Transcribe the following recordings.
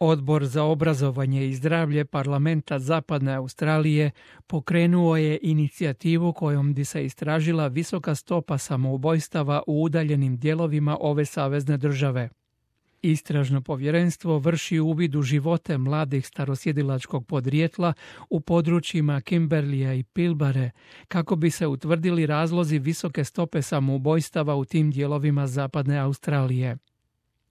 Odbor za obrazovanje i zdravlje parlamenta Zapadne Australije pokrenuo je inicijativu kojom bi se istražila visoka stopa samoubojstava u udaljenim dijelovima ove savezne države. Istražno povjerenstvo vrši uvid u živote mladih starosjedilačkog podrijetla u područjima Kimberleya i Pilbare kako bi se utvrdili razlozi visoke stope samoubojstava u tim dijelovima Zapadne Australije.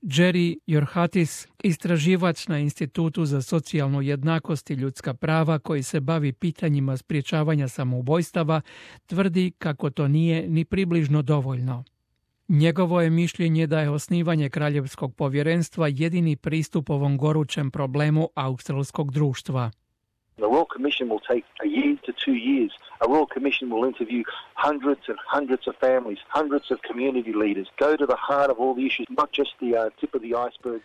Jerry Yorhatis, istraživač na Institutu za socijalnu jednakost i ljudska prava koji se bavi pitanjima sprječavanja samoubojstava, tvrdi kako to nije ni približno dovoljno. Njegovo je mišljenje da je osnivanje kraljevskog povjerenstva jedini pristup ovom gorućem problemu australskog društva. The Royal Commission will take a year to 2 years. A Royal Commission will interview hundreds and hundreds of families, hundreds of community leaders, go to the heart of all the issues, not just the tip of the iceberg.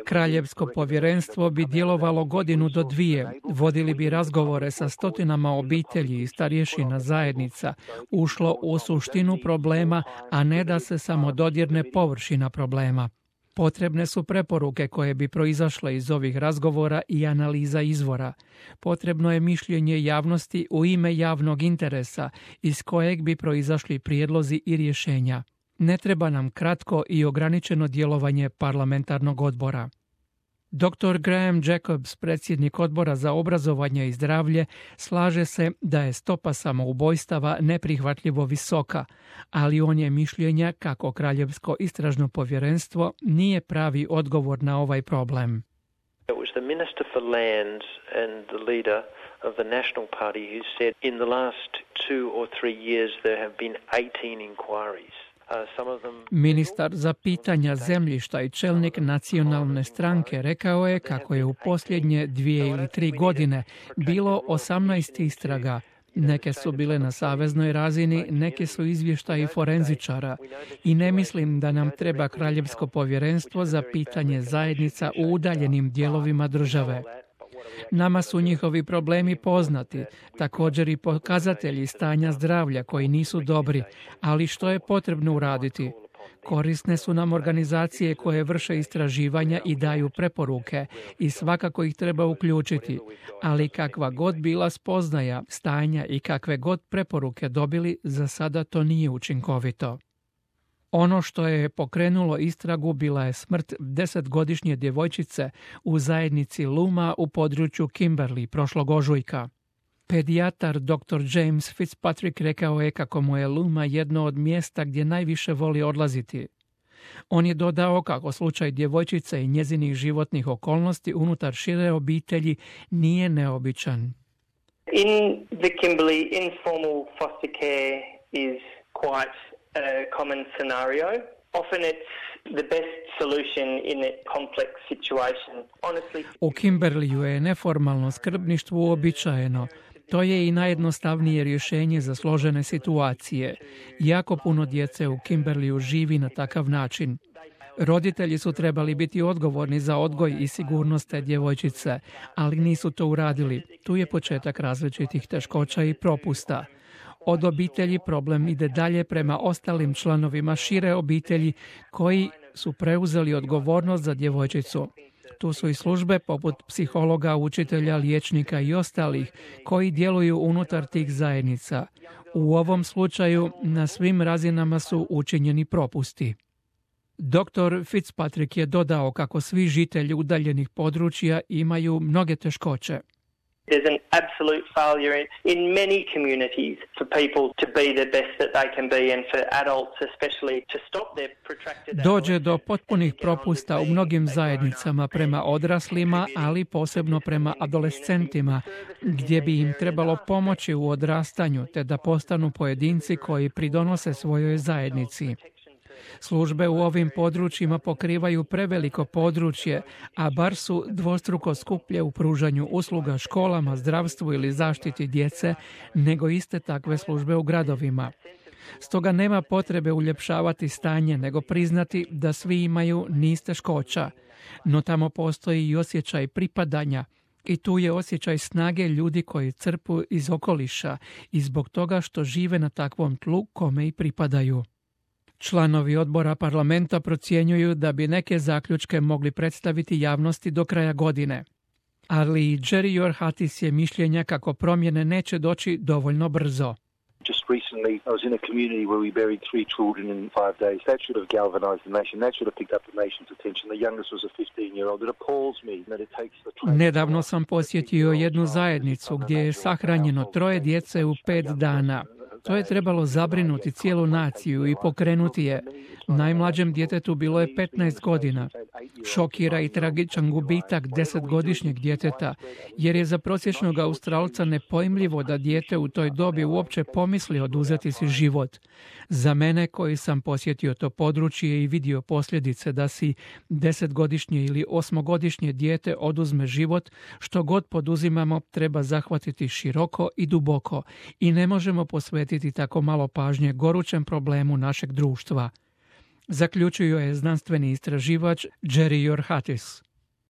Kraljevsko povjerenstvo bi djelovalo 1 do 2. Vodili bi razgovore sa stotinama obitelji i starješina zajednica, ušlo u suštinu problema, a ne da se samo dodirne površina problema. Potrebne su preporuke koje bi proizašle iz ovih razgovora i analiza izvora. Potrebno je mišljenje javnosti u ime javnog interesa iz kojeg bi proizašli prijedlozi i rješenja. Ne treba nam kratko i ograničeno djelovanje parlamentarnog odbora. Dr. Graham Jacobs, predsjednik odbora za obrazovanje i zdravlje, slaže se da je stopa samoubojstava neprihvatljivo visoka, ali on je mišljenja kako kraljevsko istražno povjerenstvo nije pravi odgovor na ovaj problem. It was the Minister for Land and the leader of the National Party who said in the last 2 or 3 years there have been 18 inquiries. Ministar za pitanja zemljišta i čelnik nacionalne stranke rekao je kako je u posljednje 2 ili 3 godine bilo 18 istraga. Neke su bile na saveznoj razini, neke su izvještaji forenzičara i ne mislim da nam treba kraljevsko povjerenstvo za pitanje zajednica u udaljenim dijelovima države. Nama su njihovi problemi poznati, također i pokazatelji stanja zdravlja koji nisu dobri, ali što je potrebno uraditi? Korisne su nam organizacije koje vrše istraživanja i daju preporuke i svakako ih treba uključiti, ali kakva god bila spoznaja, stanja i kakve god preporuke dobili, za sada to nije učinkovito. Ono što je pokrenulo istragu bila je smrt 10-godišnje djevojčice u zajednici Luma u području Kimberley prošlog ožujka. Pedijatar dr. James Fitzpatrick rekao je kako mu je Luma jedno od mjesta gdje najviše voli odlaziti. On je dodao kako slučaj djevojčice i njezinih životnih okolnosti unutar šire obitelji nije neobičan. In the Kimberley, informal foster care is quite a common scenario. Often it's the best solution in a complex situation. Honestly, u Kimberleyu je neformalno skrbništvo uobičajeno. To je i najjednostavnije rješenje za složene situacije. Jako puno djece u Kimberleyu živi na takav način. Roditelji su trebali biti odgovorni za odgoj i sigurnost te djevojčice, ali nisu to uradili. Tu je početak različitih teškoća i propusta. Od obitelji problem ide dalje prema ostalim članovima šire obitelji koji su preuzeli odgovornost za djevojčicu. Tu su i službe poput psihologa, učitelja, liječnika i ostalih koji djeluju unutar tih zajednica. U ovom slučaju na svim razinama su učinjeni propusti. Dr. Fitzpatrick je dodao kako svi žitelji udaljenih područja imaju mnoge teškoće. There's an absolute failure in many communities for people to be the best that they can be and for adults especially to stop their protracted... Dođe do potpunih propusta u mnogim zajednicama prema odraslima, ali posebno prema adolescentima, gdje bi im trebalo pomoći u odrastanju te da postanu pojedinci koji pridonose svojoj zajednici. Službe u ovim područjima pokrivaju preveliko područje, a bar su dvostruko skuplje u pružanju usluga školama, zdravstvu ili zaštiti djece nego iste takve službe u gradovima. Stoga nema potrebe uljepšavati stanje, nego priznati da svi imaju niz teškoća. No tamo postoji i osjećaj pripadanja i tu je osjećaj snage ljudi koji crpu iz okoliša i zbog toga što žive na takvom tlu kome i pripadaju. Članovi odbora parlamenta procjenjuju da bi neke zaključke mogli predstaviti javnosti do kraja godine. Ali Jerry Yorhatis je mišljenja kako promjene neće doći dovoljno brzo. Just recently, I was in a community where we buried 3 children in 5 days. That should have galvanized the nation. That should have picked up the nation's attention. The youngest was a 15-year-old. It appalls me that it takes the... Nedavno sam posjetio jednu zajednicu gdje je sahranjeno 3 djece u 5 dana. To je trebalo zabrinuti cijelu naciju i pokrenuti je. Najmlađem djetetu bilo je 15 godina. Šokira i tragičan gubitak 10-godišnjeg djeteta, jer je za prosječnog Australca nepojmljivo da dijete u toj dobi uopće pomisli oduzeti si život. Za mene, koji sam posjetio to područje i vidio posljedice da si 10-godišnje ili 8-godišnje dijete oduzme život, što god poduzimamo treba zahvatiti široko i duboko i ne možemo posvetiti tako malo pažnje gorućem problemu našeg društva. Zaključio je znanstveni istraživač Jerry Yorhatis.